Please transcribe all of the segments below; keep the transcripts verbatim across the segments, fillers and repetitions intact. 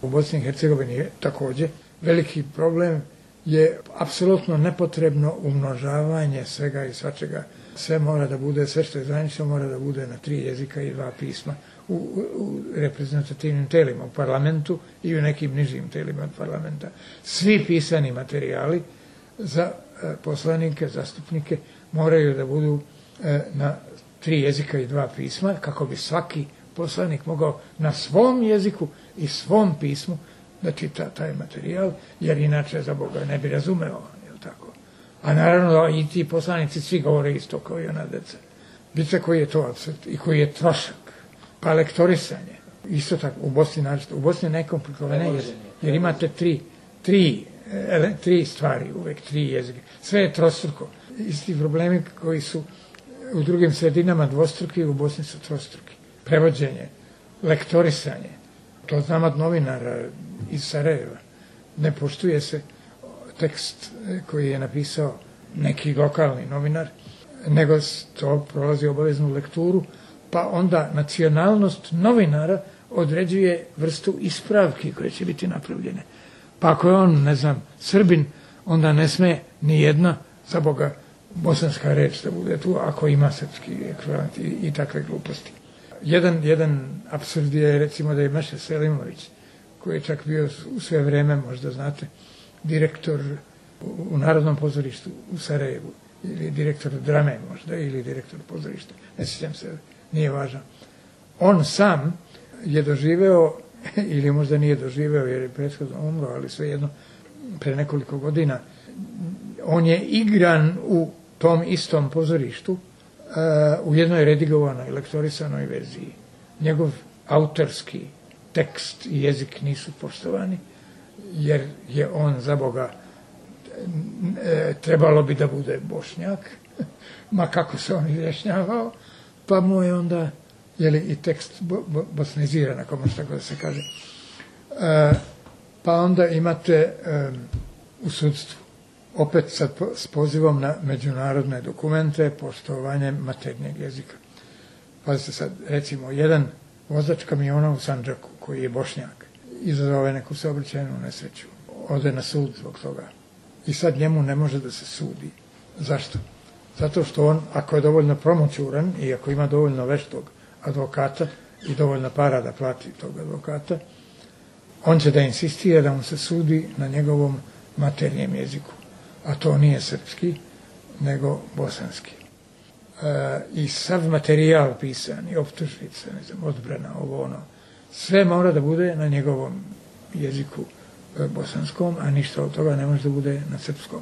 U Bosni i Hercegovini je također veliki problem je apsolutno nepotrebno umnožavanje svega i svačega. Sve mora da bude, sve što je zvanično mora da bude na tri jezika i dva pisma u, u, u reprezentativnim telima, u parlamentu i u nekim nižim telima od parlamenta. Svi pisani materijali za e, poslanike, zastupnike moraju da budu e, na tri jezika i dva pisma, kako bi svaki poslanik mogao na svom jeziku i svom pismu da čita taj materijal, jer inače za Boga ne bi razumeo, je li tako? A naravno i ti poslanici svi govore isto kao i ona deca. Vidite koji je to apsurd i koji je trošak. Pa lektorisanje. Isto tako, u Bosni naravno. U Bosni je najkomplikovanije, jer, jer imate tri, tri, ele, tri stvari, uvek tri jezike. Sve je trostruko. Isti problemi koji su u drugim sredinama dvostruki, u Bosni su trostruki. Prevođenje, lektorisanje. To znam od novinara iz Sarajeva. Ne poštuje se tekst koji je napisao neki lokalni novinar, nego to prolazi obaveznu lekturu, pa onda nacionalnost novinara određuje vrstu ispravki koje će biti napravljene. Pa ako je on, ne znam, Srbin, onda ne sme ni jedna, za Boga, bosanska reč da bude tu, ako ima srpski ekvivalent i, i takve gluposti. Jedan, jedan apsurd je, recimo, da je Meša Selimović, koji je čak bio u sve vreme, možda znate, direktor u Narodnom pozorištu u Sarajevu, ili direktor drame možda, ili direktor pozorišta, ne sjećam se, nije važno. On sam je doživeo, ili možda nije doživeo jer je prethodno umro, ali svejedno, pre nekoliko godina, on je igran u tom istom pozorištu, uh, u jednoj redigovanoj, lektorisanoj verziji. Njegov autorski tekst i jezik nisu poštovani, jer je on, za Boga, e, trebalo bi da bude Bošnjak, ma kako se on izjašnjavao, pa mu je onda, jeli, i tekst bo, bo, bosniziran, ako može tako da se kaže. E, pa onda imate e, u sudstvu, opet sad po, s pozivom na međunarodne dokumente, poštovanje maternjeg jezika. Pazite sad, recimo, jedan vozač kamiona u Sandžaku, koji je Bošnjak, izazove neku saobraćajnu nesreću, ode na sud zbog toga. I sad njemu ne može da se sudi. Zašto? Zato što on, ako je dovoljno promoćuran i ako ima dovoljno veštog advokata i dovoljno para da plati tog advokata, on će da insistira da mu se sudi na njegovom maternjem jeziku. A to nije srpski, nego bosanski. E, I sav materijal pisan, i optužnice, ne znam, odbrana, ovo ono, sve mora da bude na njegovom jeziku e, bosanskom, a ništa od toga ne može da bude na srpskom.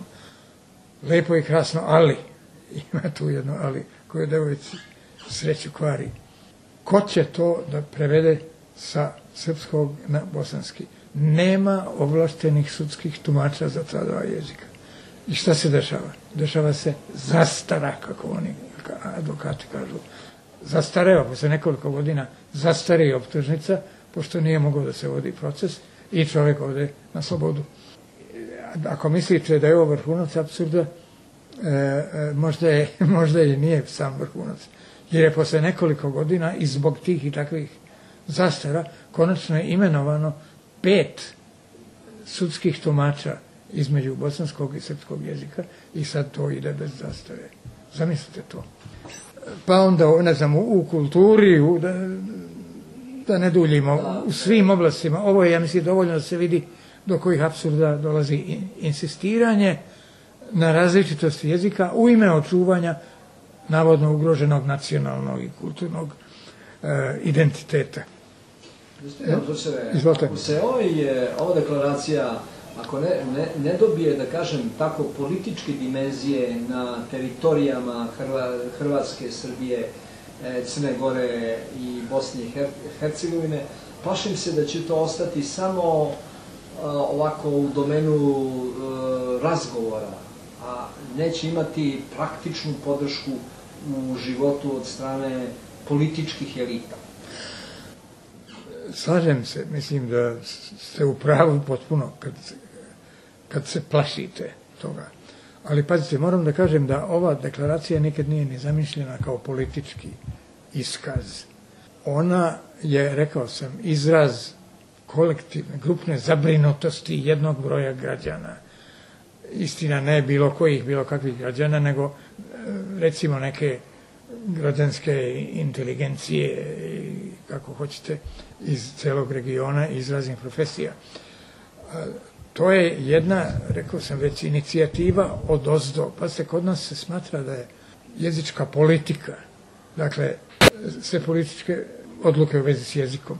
Lepo i krasno, ali, ima tu jedno ali, koje devojci sreću kvari. Ko će to da prevede sa srpskog na bosanski? Nema ovlaštenih sudskih tumača za ta dva jezika. I šta se dešava? Dešava se zastara, kako oni advokati kažu. Zastareva, posle nekoliko godina zastari optužnica, pošto nije mogao da se vodi proces i čovjek ode na slobodu. Ako mislite da je ovo vrhunac apsurda, e, e, možda, je, možda je nije sam vrhunac. Jer je posle nekoliko godina i zbog tih i takvih zastara konačno je imenovano pet sudskih tumača između bosanskog i srpskog jezika i sad to ide bez zastare. Zamislite to. Pa onda, ne znam, u, u kulturi, u, da, da ne duljimo, u svim oblastima. Ovo je, ja mislim, dovoljno da se vidi do kojih apsurda dolazi insistiranje na različitosti jezika u ime očuvanja navodno ugroženog nacionalnog i kulturnog e, identiteta. Izvolite. Ako se ovaj, ova deklaracija, ako ne, ne, ne dobije, da kažem, tako političke dimenzije na teritorijama Hrva, Hrvatske, Srbije, Crne Gore i Bosne i Hercegovine, plašim se da će to ostati samo a, ovako u domenu a, razgovora, a neće imati praktičnu podršku u životu od strane političkih elita. Slažem se, mislim da ste u pravu potpuno kad, kad se plašite toga. Ali pazite, moram da kažem da ova deklaracija nikad nije ni zamišljena kao politički iskaz. Ona je, rekao sam, izraz kolektivne, grupne zabrinutosti jednog broja građana. Istina, ne bilo kojih, bilo kakvih građana, nego recimo neke građanske inteligencije, kako hoćete, iz celog regiona, iz raznih profesija. To je jedna, rekao sam već, inicijativa odozdo. Pa se kod nas se smatra da je jezička politika, dakle, sve političke odluke u vezi s jezikom,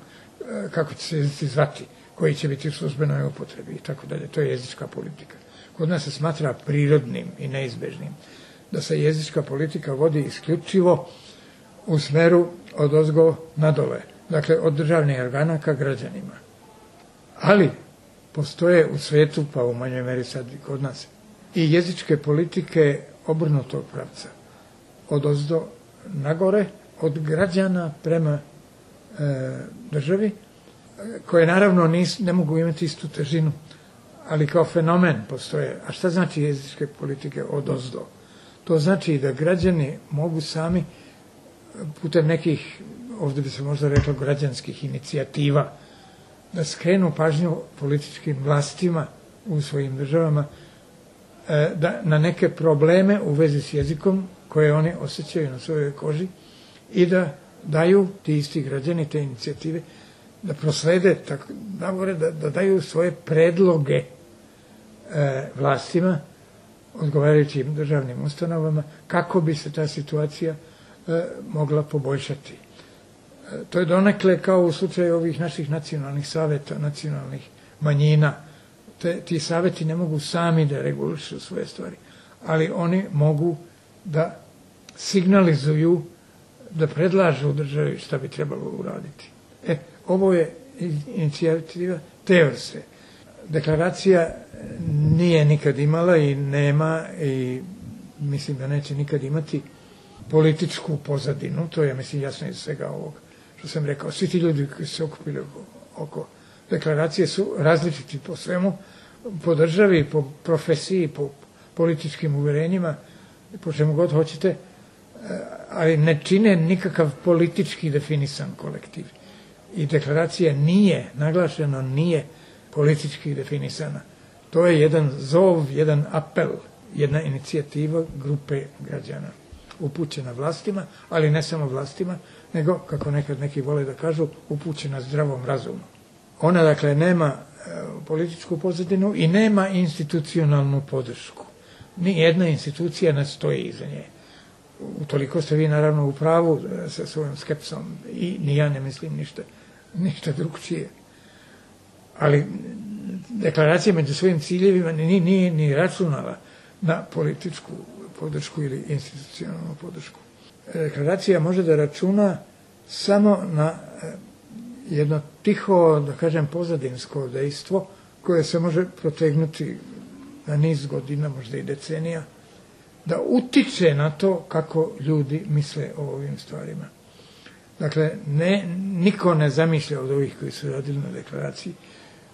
kako će se jezici zvati, koji će biti u službenoj upotrebi i tako dalje, to je jezička politika. Kod nas se smatra prirodnim i neizbežnim da se jezička politika vodi isključivo u smeru odozgo nadole, dakle od državnih organa ka građanima. Ali postoje u svetu, pa u manjoj meri sad i kod nas, i jezičke politike obrnutog pravca, odozdo nagore, od građana prema e, državi, koje naravno nis, ne mogu imati istu težinu, ali kao fenomen postoje. A šta znači jezičke politike odozdo? To znači da građani mogu sami putem nekih, ovdje bi se možda reklo, građanskih inicijativa, da skrenu pažnju političkim vlastima u svojim državama da, na neke probleme u vezi s jezikom koje oni osjećaju na svojoj koži i da daju ti isti građani te inicijative, da proslede, tako, da, da daju svoje predloge e, vlastima, odgovarajućim državnim ustanovama, kako bi se ta situacija e, mogla poboljšati. E, to je donekle kao u slučaju ovih naših nacionalnih saveta, nacionalnih manjina. Te, ti saveti ne mogu sami da regulišu svoje stvari, ali oni mogu da signalizuju, da predlažu državi šta bi trebalo uraditi. E, ovo je inicijativa te vrste. Deklaracija nije nikad imala i nema i mislim da neće nikad imati političku pozadinu, to je, mislim, jasno iz svega ovog što sam rekao. Svi ti ljudi koji se okupili oko, oko deklaracije su različiti po svemu, po državi, po profesiji, po političkim uverenjima, po čemu god hoćete, ali ne čine nikakav politički definisan kolektiv. I deklaracija nije, naglašeno nije politički definisana. To je jedan zov, jedan apel, jedna inicijativa grupe građana upućena vlastima, ali ne samo vlastima, nego, kako nekad neki vole da kažu, upućena zdravom razumu. Ona, dakle, nema e, političku pozadinu i nema institucionalnu podršku. Ni jedna institucija ne stoji iza nje. Utoliko ste vi, naravno, u pravu e, sa svojom skepsom i ni ja ne mislim ništa, ništa drugčije. Ali deklaracija među svojim ciljevima nije, nije ni računala na političku podršku ili institucionalnu podršku. Deklaracija može da računa samo na jedno tiho, da kažem, pozadinsko dejstvo koje se može protegnuti na niz godina, možda i decenija, da utiče na to kako ljudi misle o ovim stvarima. Dakle, ne, niko ne zamišlja od ovih koji su radili na deklaraciji,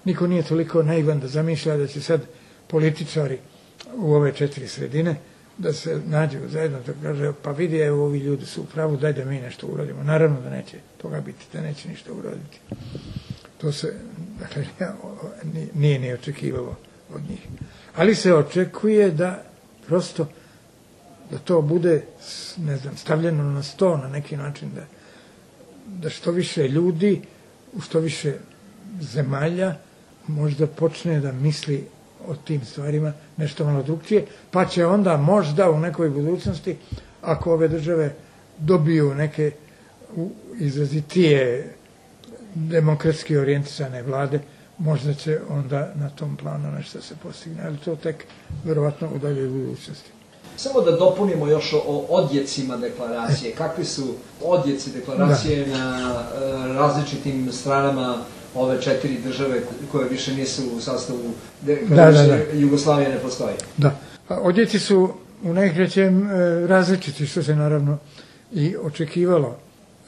niko nije toliko naivan da zamišlja da će sad političari u ove četiri sredine da se nađu zajedno, da kaže, pa vidi, evo, ovi ljudi su u pravu, daj da mi nešto uradimo. Naravno da neće toga biti, da neće ništa uraditi. To se, dakle, nije ni očekivalo od njih. Ali se očekuje da prosto, da to bude, ne znam, stavljeno na sto na neki način, da, da što više ljudi, u što više zemalja, možda počne da misli o tim stvarima nešto malo drugčije, pa će onda možda u nekoj budućnosti, ako ove države dobiju neke izrazitije demokratski orijentisane vlade, možda će onda na tom planu nešto se postigne, ali to tek verovatno u daljoj budućnosti. Samo da dopunimo još o odjecima deklaracije. Kakvi su odjeci deklaracije da. na e, različitim stranama ove četiri države koje više nisu u sastavu, kada da, da, da. Jugoslavija ne postoji? Da. Odjeci su u najkraćem e, različiti, što se naravno i očekivalo.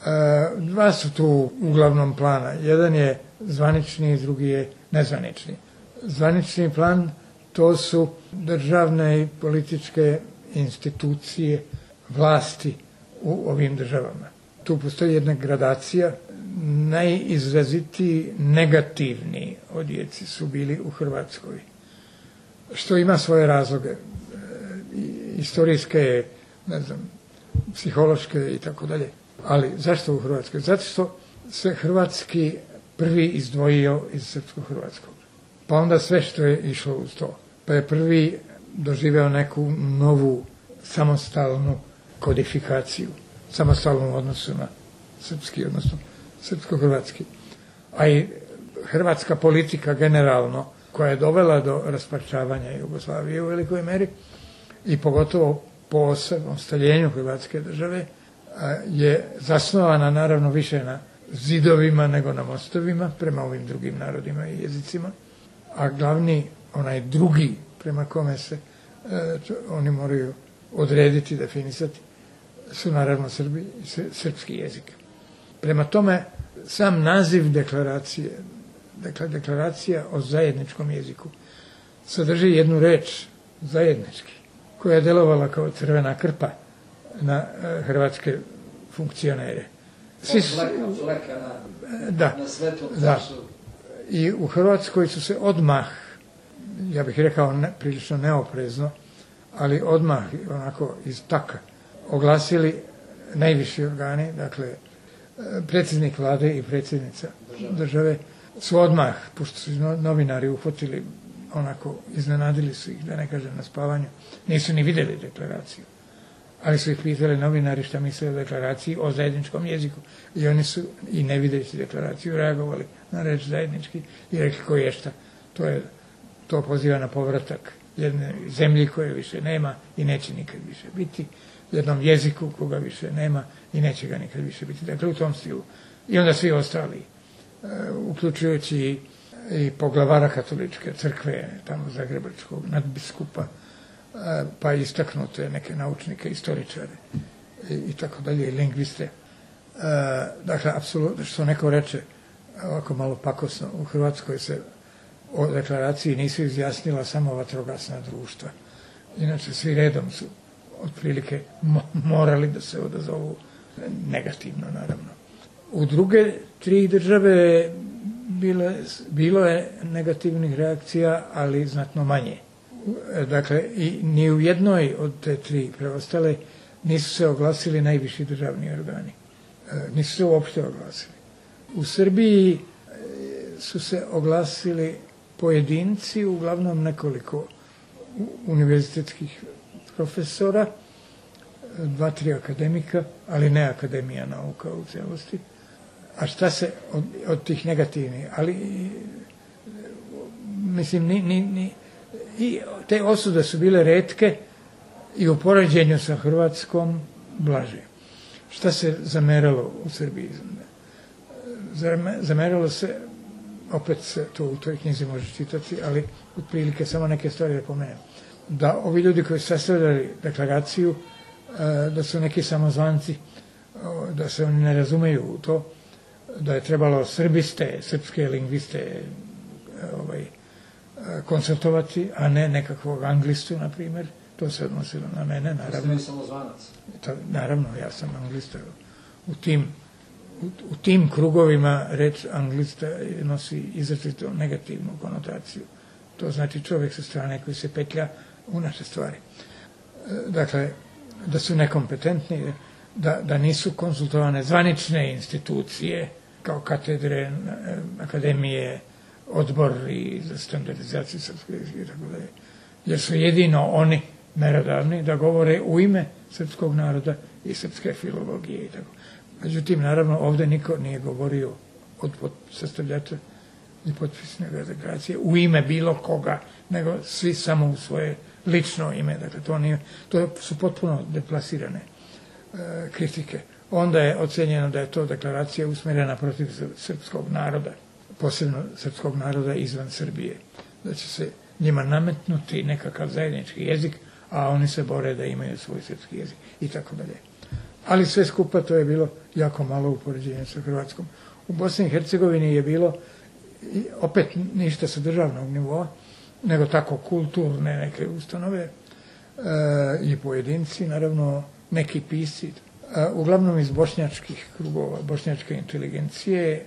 E, dva su tu uglavnom plana. Jedan je zvanični, drugi je nezvanični. Zvanični plan, to su državne i političke institucije, vlasti u ovim državama. Tu postoji jedna gradacija, najizrazitiji negativni odjeci su bili u Hrvatskoj. Što ima svoje razloge, e, istorijske, ne znam, psihološke i tako dalje. Ali zašto u Hrvatskoj? Zato što se hrvatski prvi izdvojio iz srpsko-hrvatskog. Pa onda sve što je išlo uz to. Pa je prvi doživeo neku novu samostalnu kodifikaciju, samostalnu odnosu na srpski, odnosno srpsko-hrvatski. A i hrvatska politika generalno, koja je dovela do rasparčavanja Jugoslavije u velikoj meri i pogotovo po osamostaljenju Hrvatske države, je zasnovana naravno više na zidovima nego na mostovima prema ovim drugim narodima i jezicima, a glavni, onaj drugi prema kome se e, oni moraju odrediti, definisati, su naravno Srbi i srpski jezik. Prema tome, sam naziv deklaracije, dakle deklaracija o zajedničkom jeziku, sadrži jednu reč zajednički, koja je delovala kao crvena krpa na e, hrvatske funkcionere. Svi su, fleka na, da, na svetu. Da. I u Hrvatskoj su se odmah, ja bih rekao ne, prilično neoprezno, ali odmah onako iz taka oglasili najviši organi, dakle predsjednik vlade i predsjednica države, države su odmah, pošto su novinari uhvatili, onako iznenadili su ih, da ne kažem na spavanju, nisu ni vidjeli deklaraciju, ali su ih pitali novinari šta misle o deklaraciji o zajedničkom jeziku i oni su i ne videći deklaraciju reagovali na reč zajednički i rekli ko je šta, to je to poziva na povratak jedne zemlji koje više nema i neće nikad više biti, jednom jeziku koga više nema i neće ga nikad više biti. Dakle, u tom stilu. I onda svi ostali, uključujući i poglavara katoličke crkve, tamo zagrebačkog nadbiskupa, pa istaknute neke naučnike, istoričare i, i tako dalje, i lingviste. Dakle, apsolutno, što neko reče, ovako malo pakosno, u Hrvatskoj se o deklaraciji nisu izjasnila samo vatrogasna društva. Inače, svi redom su otprilike morali da se odazovu negativno, naravno. U druge tri države bile, bilo je negativnih reakcija, ali znatno manje. Dakle, i ni u jednoj od te tri preostale nisu se oglasili najviši državni organi. Nisu se uopšte oglasili. U Srbiji su se oglasili pojedinci, uglavnom nekoliko univerzitetskih profesora, dva, tri akademika, ali ne Akademija nauka u cijelosti. A šta se od, od tih negativnih, ali mislim, ni, ni, ni, i te osude su bile retke i u poređenju sa Hrvatskom blaže. Šta se zameralo u Srbiji? Zameralo se, opet se to u toj knjizi može čitati, ali otprilike samo neke stvari da pomenem. Da ovi ljudi koji su sastavljali deklaraciju, da su neki samozvanci, da se oni ne razumeju u to, da je trebalo srbiste, srpske lingviste ovaj, konsultovati, a ne nekakvog anglistu, na primjer. To se odnosilo na mene, naravno. Ste samozvanac? Naravno, ja sam anglista. U tim, u, u tim krugovima reč anglista nosi izrazito negativnu konotaciju. To znači čovjek sa strane koji se petlja u naše stvari. Dakle, da su nekompetentni, da, da nisu konsultovane zvanične institucije, kao katedre, akademije, odbori za standardizaciju srpskog jezika i tako dalje. Jer su jedino oni merodavni da govore u ime srpskog naroda i srpske filologije i tako. Međutim, naravno, ovdje niko nije govorio od sastavljača i potpisnika deklaracije u ime bilo koga, nego svi samo u svoje lično ime. Dakle, to, nije, to su potpuno deplasirane e, kritike. Onda je ocenjeno da je to deklaracija usmjerena protiv srpskog naroda, posebno srpskog naroda izvan Srbije. Da će se njima nametnuti nekakav zajednički jezik, a oni se bore da imaju svoj srpski jezik i tako dalje. Ali sve skupa to je bilo jako malo u poređenju sa Hrvatskom. U Bosni i Hercegovini je bilo opet ništa sa državnog nivoa, nego tako kulturne neke ustanove e, i pojedinci, naravno neki pisci, uglavnom iz bošnjačkih krugova, bošnjačke inteligencije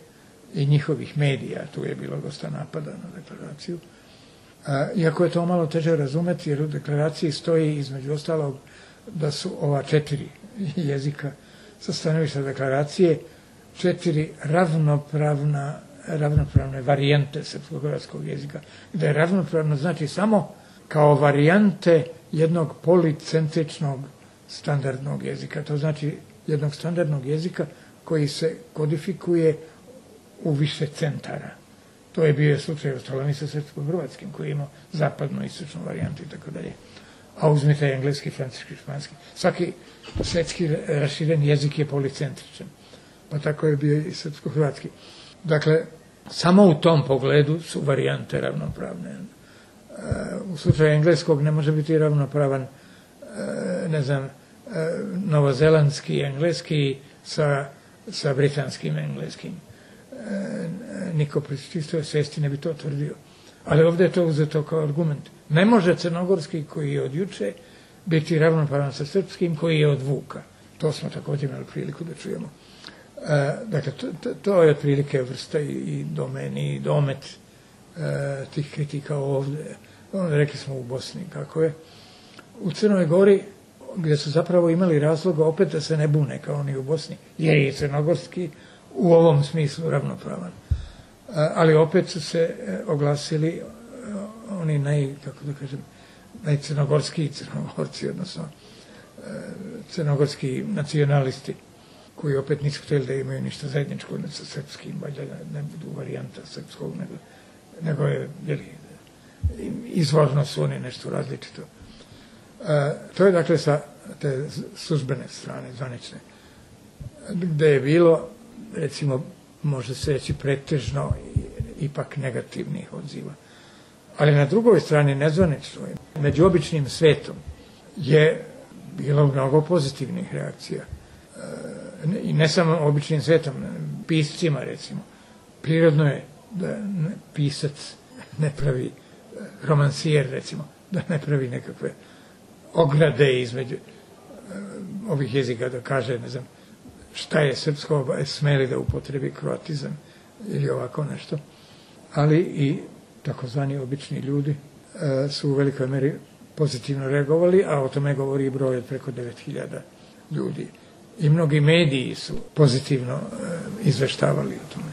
i njihovih medija. Tu je bilo dosta napada na deklaraciju. Iako je to malo teže razumeti, jer u deklaraciji stoji između ostalog da su ova četiri jezika sa stanovišta deklaracije četiri ravnopravna, ravnopravne varijante srpsko-hrvatskog jezika. Da je ravnopravno znači samo kao varijante jednog policentričnog standardnog jezika. To znači jednog standardnog jezika koji se kodifikuje u više centara. To je bio slučaj u Stolani sa srpsko-hrvatskim, koji je imao zapadnu i istočnu varijantu i tako dalje. A uzmite engleski, francuski, španski. Svaki svetski raširen jezik je policentričan. Pa tako je bio i srpsko-hrvatski. Dakle, samo u tom pogledu su varijante ravnopravne. U slučaju engleskog ne može biti ravnopravan, ne znam, novozelandski engleski sa, sa britanskim engleskim. Niko pri čistoj svesti ne bi to tvrdio. Ali ovdje je to uzeto kao argument. Ne može crnogorski koji je od juče biti ravnopravan sa srpskim koji je od Vuka. To smo također imali priliku da čujemo. E, dakle, to, to, to je otprilike vrsta i, i domeni i domet e, tih kritika ovdje. Onda rekli smo u Bosni kako je. U Crnoj Gori, gdje su zapravo imali razloga opet da se ne bune kao oni u Bosni, jer je i crnogorski u ovom smislu ravnopravan. Ali opet su se oglasili oni naj, kako da kažem, najcrnogorski crnogorci, odnosno crnogorski nacionalisti, koji opet nisu htjeli da imaju ništa zajedničko sa srpskim, valjda ne budu varijanta srpskog, nego, nego je, jeli, izvorno su oni nešto različito. To je dakle sa te službene strane, zvanične, gde je bilo, recimo, može se reći pretežno ipak negativnih odziva. Ali na drugoj strani, nezvaničnoj, među običnim svetom, je bilo mnogo pozitivnih reakcija. I ne samo običnim svetom, piscima, recimo. Prirodno je da pisac ne pravi, romansijer, recimo, da ne pravi nekakve ograde između ovih jezika, da kaže, ne znam, šta je srpsko, smeli da upotrebi kroatizam ili ovako nešto. Ali i takozvani obični ljudi e, su u velikoj meri pozitivno reagovali, a o tome govori i broj od preko devet hiljada ljudi. I mnogi mediji su pozitivno e, izveštavali o tome.